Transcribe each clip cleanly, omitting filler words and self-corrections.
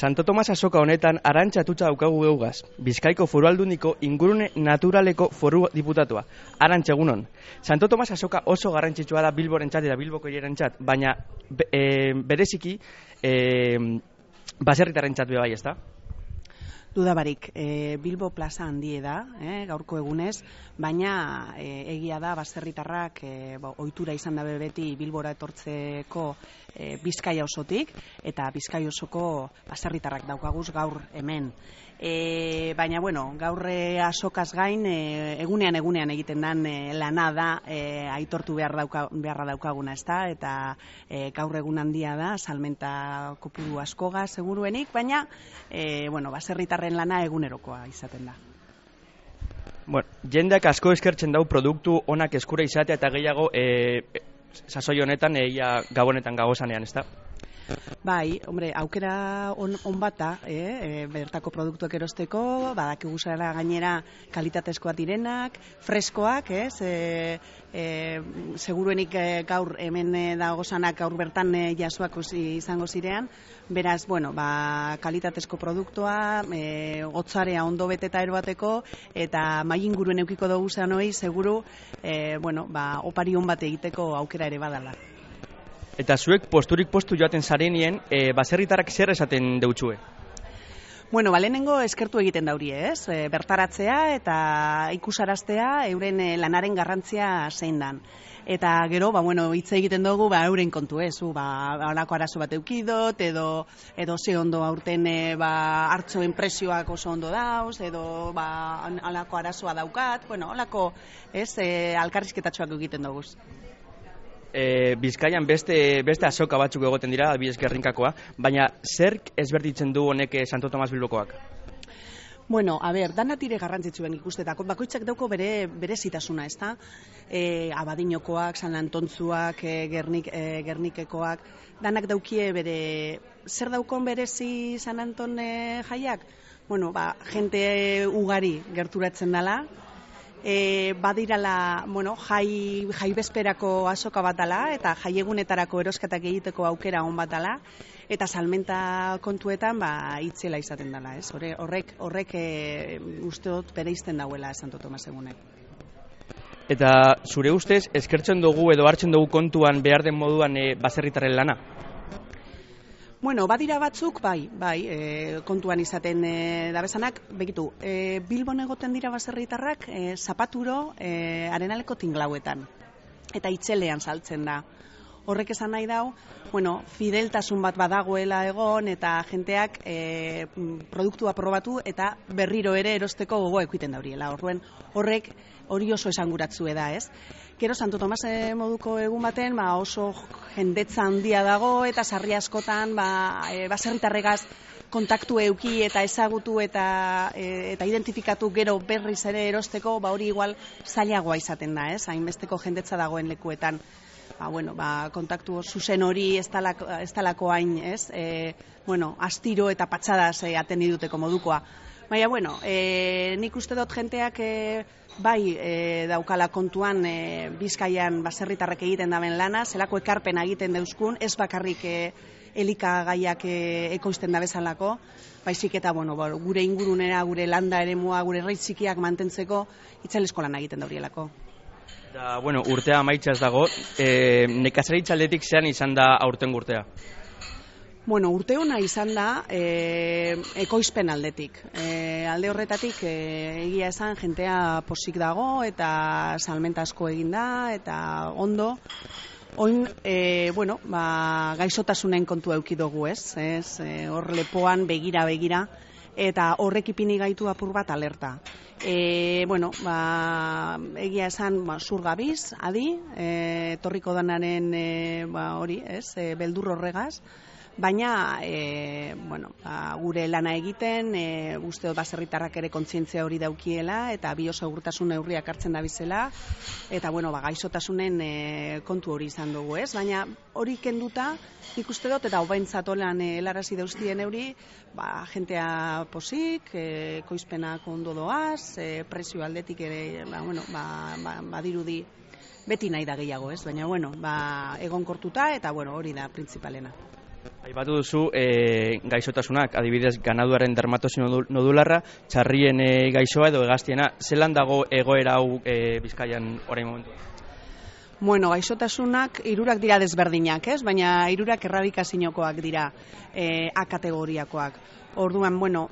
Santo Tomas azoka honetan Arantxa Atutxa daukagu geugaz, Bizkaiko Foru Aldundiko ingurune naturaleko foru diputatua. Arantxa, egunon. Santo Tomas azoka oso garrantzitsua da Bilborentzat eta Bilboko hiriarentzat, baina bereziki baserritarrentzat be bai, ezta? Dudabarik, Bilbo plaza handie da, gaurko egunez, baina egia da baserritarrak ohitura izan dabe beti Bilbora etortzeko Bizkaia osotik, eta Bizkaia osoko baserritarrak daukaguz gaur hemen. Baina, gaur azokaz gain, egunean egiten den lana da aitortu beharra daukaguna, ezta? Eta gaur egun handia da, salmenta kopuru askoga seguruenik, baina, baserritarren lana egunerokoa izaten da. Jendeak asko eskertzen dau produktu onak eskura izatea eta gehiago sasoi honetan gabonetan gagozanean, ezta? Bai, aukera on bata, bertako produktuak erosteko, badakigu zara gainera kalitatezkoak direnak, freskoak, seguruenik gaur hemen dagozanak gaur bertan jasoak izango zirean, beraz, kalitatezko produktua, gotzarea ondo beteta erobateko, eta mai inguruen eukiko dugu zanoi, seguru, opari on bat egiteko aukera ere badala. Eta zuek posturik postu joaten zarenien, baserritarrak zer esaten deutsue? Lehenengo eskertu egiten dauri, ez? Bertaratzea eta ikusaraztea euren lanaren garrantzia zein dan. Eta gero, hitz egiten dugu, euren kontu, ez? Halako arazo bat eukidot, edo ze ondo aurten hartzoen presioak oso ondo dauz, edo halako arazoa daukat, halako, ez, alkarrizketatxoak egiten dugu. Bizkaian beste azoka batzuk egoten dira, adibidez Gerrinkakoa, baina zerk ezberditzen du honek Santo Tomas Bilbokoak? Danat ire garrantzitsuen ikustetak, bakoitzak dauko bere zitasuna, ez da? Abadinokoak, San Antontzuak, Gernikekoak, danak daukie bere, zer daukon berezi San Anton jaiak? Jente ugari gerturatzen dela, badirala, jai bezperako azoka bat dela, eta jaiegunetarako erosketak egiteko aukera on bat dela, eta salmenta kontuetan itzela izaten dela, ez? Horrek uste dut bereizten dauela Santo Tomas egunek. Eta zure ustez, eskertzen dugu edo hartzen dugu kontuan behar den moduan baserritarren lana? Badira batzuk, bai, kontuan izaten dabezanak, begitu, Bilbon egoten dira baserritarrak zapaturo arenaleko tinglauetan, eta itzelean saltzen da. Horrek esan nahi dau, fideltasun bat badagoela egon, eta jenteak produktua probatu, eta berriro ere erosteko gogoa ekuiten dauriela. Horrek hori oso esanguratzue da, ez? Gero Santo Tomas moduko egun baten oso jendetza handia dago eta sarri askotan baserritarregaz kontaktu euki eta ezagutu eta identifikatu gero berriz ere erosteko hori igual zailagoa izaten da, ez? Hainbesteko jendetza dagoen lekuetan. Kontaktu zuzen hori ez talako hain, ez? Astiro eta patxadaz atendi duteko modukoa. Baina, nik uste dut jenteak daukala kontuan Bizkaian baserritarrek egiten daben lana, zelako ekarpena egiten deuskun, ez bakarrik elikagaiak ekoizten dabezalako, baizik eta gure ingurunera, gure landa eremua, gure herri txikiak mantentzeko itzalesko lan egiten daurielako. Da, urtea amaitzaz dago, nekazaritza aldetik zean izan da aurten urtea? Urte hona izan da ekoizpen aldetik. Alde horretatik egia esan jentea posik dago eta salmenta asko egin da eta ondo. Oin, gaixotasunen kontu euki dugu, ez? Hor lepoan begira eta horrek ipini gaitu apur bat alerta. Egia esan zurgabiz, adi, torriko danaren hori, ez? Beldur horregaz. Baina, gure lana egiten, uste dut baserritarrak ere kontzientzia hori daukiela, eta biosegurtasun neurriak hartzen dabizela, eta, gaixotasunen kontu hori izan dugu, ez? Baina, hori kenduta, ikuste dut, eta hobaintzatolan helarazi dauztien euri, jentea posik, ekoizpenak ondo doaz, prezio aldetik ere, badirudi, beti nahi da gehiago, ez? Baina, egonkortuta, eta, hori da, printzipalena. Aipatu duzu gaixotasunak, adibidez ganaduaren dermatosi nodularra, txarrien gaixoa edo hegaztiena, zelan dago egoera hau Bizkaian orain momentu? Bueno, gaixotasunak hirurak dira desberdinak, ez? Baina hirurak erradikaziokoak dira, A kategoriakoak. Orduan, bueno,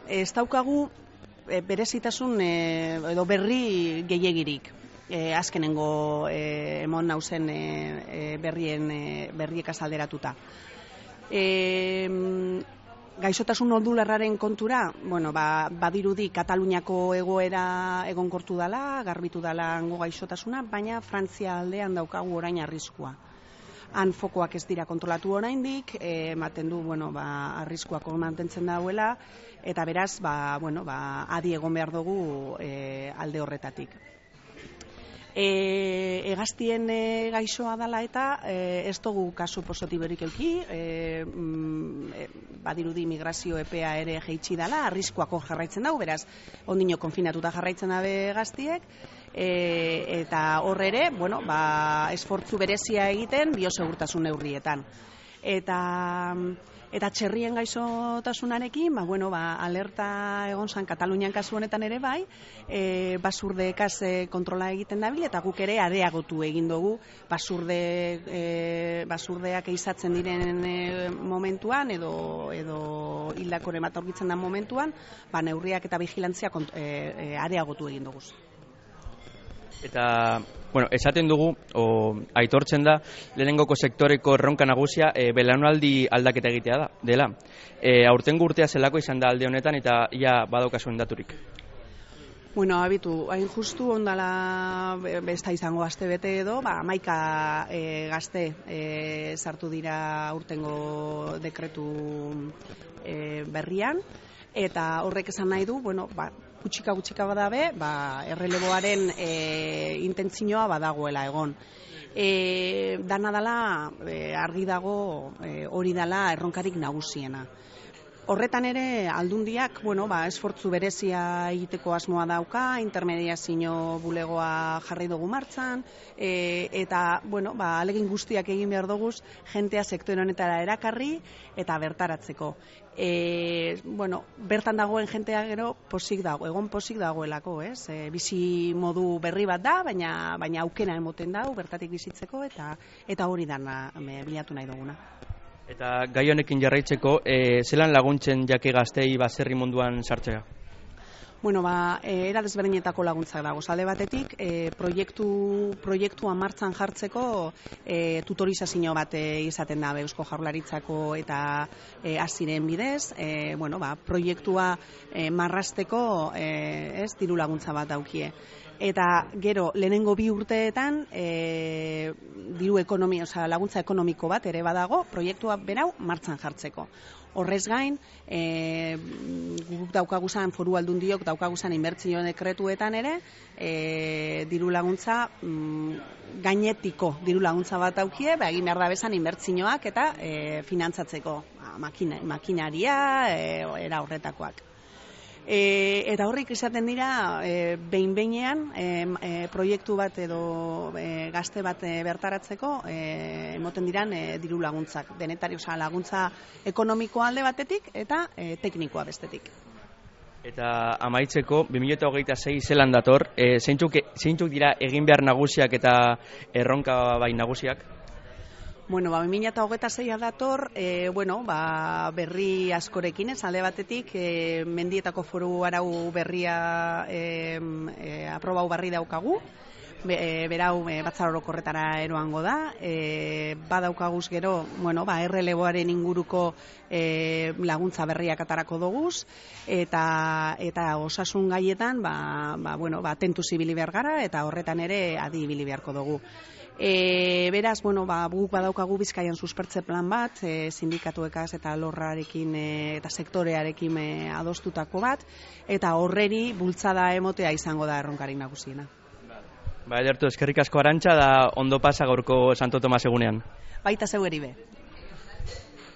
ez daukagu berezitasun edo berri gehiegirik. Azkenengo emon nauzen berriek azalderatuta. Gaixotasun nodularraren kontura, bueno, badirudi Kataluniako egoera egonkortu dela, garbitu dela hango gaixotasuna, baina Frantzia aldean daukagu orain arriskua. Han fokoak ez dira kontrolatu oraindik, ematen du, bueno, arriskuak mantentzen dauela, eta beraz, adi egon behar dugu alde horretatik. Hegaztien gaixoa dela eta ez dugu kasu positiborik eduki, badirudi migrazio epea ere jaitsi dela, arriskuak jarraitzen dago, beraz, ondino konfinatuta jarraitzen dabe hegaztiek, eta horre ere, esfortzu berezia egiten biosegurtasun neurrietan. Eta txerrien gaixotasunarekin, alerta egon zan Katalunian kasu honetan ere bai, basurdekaz kontrola egiten dabil, eta guk ere areagotu egin dugu basurdeak eizatzen diren momentuan, edo hildakore bat aurkitzen den momentuan, neurriak eta vigilantzia areagotu egin dugu. Eta, esaten dugu, aitortzen da, lehenengoko sektoreko erronka nagusia belaunaldi aldaketa egitea dela. Aurtengo urtea zelako izan da alde honetan eta ia badaukazuen daturik. Abitu, hain justu ondala besta izango aste bete edo, 11 gazte sartu dira aurtengo dekretu berrian, eta horrek esan nahi du, gutxika badabe, erreleboaren intentzioa badagoela egon. Dana dela, argi dago, hori dela erronkarik nagusiena. Horretan ere, aldundiak, esfortzu berezia egiteko asmoa dauka, intermediazio bulegoa jarri dugu martxan, eta, alegin guztiak egin behar duguz, jentea sektore honetara erakarri eta bertaratzeko. Bertan dagoen jentea gero egon posik dagoelako, ez? Bizi modu berri bat da, baina aukera emoten dago bertatik bizitzeko, eta hori dana bilatu nahi duguna. Eta gai honekin jarraitzeko, zelan laguntzen jake gaztei baserri munduan sartzea? Era desberdinetako laguntzak dago. Alde batetik, proiektua martxan jartzeko tutorizazio bat izaten da Eusko Jaurlaritzako eta aziren bidez, proiektua marrasteko diru laguntza bat daukie. Eta gero, lehenengo 2 urteetan laguntza ekonomiko bat ere badago, proiektua berau martxan jartzeko. Horrez gain, guk daukaguzan foru aldundiok daukaguzan inbertsio dekretuetan ere, diru laguntza gainetiko diru laguntza bat daukie, egin behar da bezan inbertsioak eta finantzatzeko makinaria, era horretakoak. Eta horrik izaten dira, behin-behinean proiektu bat edo gazte bat bertaratzeko emoten diran diru laguntzak. Denetari, laguntza ekonomikoa alde batetik eta teknikoa bestetik. Eta amaitzeko, 2026 zelan dator, zeintzuk dira egin behar nagusiak eta erronka bai nagusiak? 2026 dator, berri askorekin, alde batetik, mendietako foru arau berria aprobau barri daukagu, berau batzar orokorretara eroango da, badaukaguz gero, erreleboaren inguruko laguntza berriak atarako doguz, eta osasun gaietan, tentuz ibili behar gara, eta horretan ere adi ibili beharko dugu. Beraz, guk badaukagu Bizkaian suspertze plan bat, sindikatuekaz eta lorrarekin eta sektorearekin adostutako bat, eta horreri bultzada emotea izango da erronkarik nagusiena. Edertu, eskerrik asko Arantxa, da ondo pasa gaurko Santo Tomas egunean. Baita zeu eri be.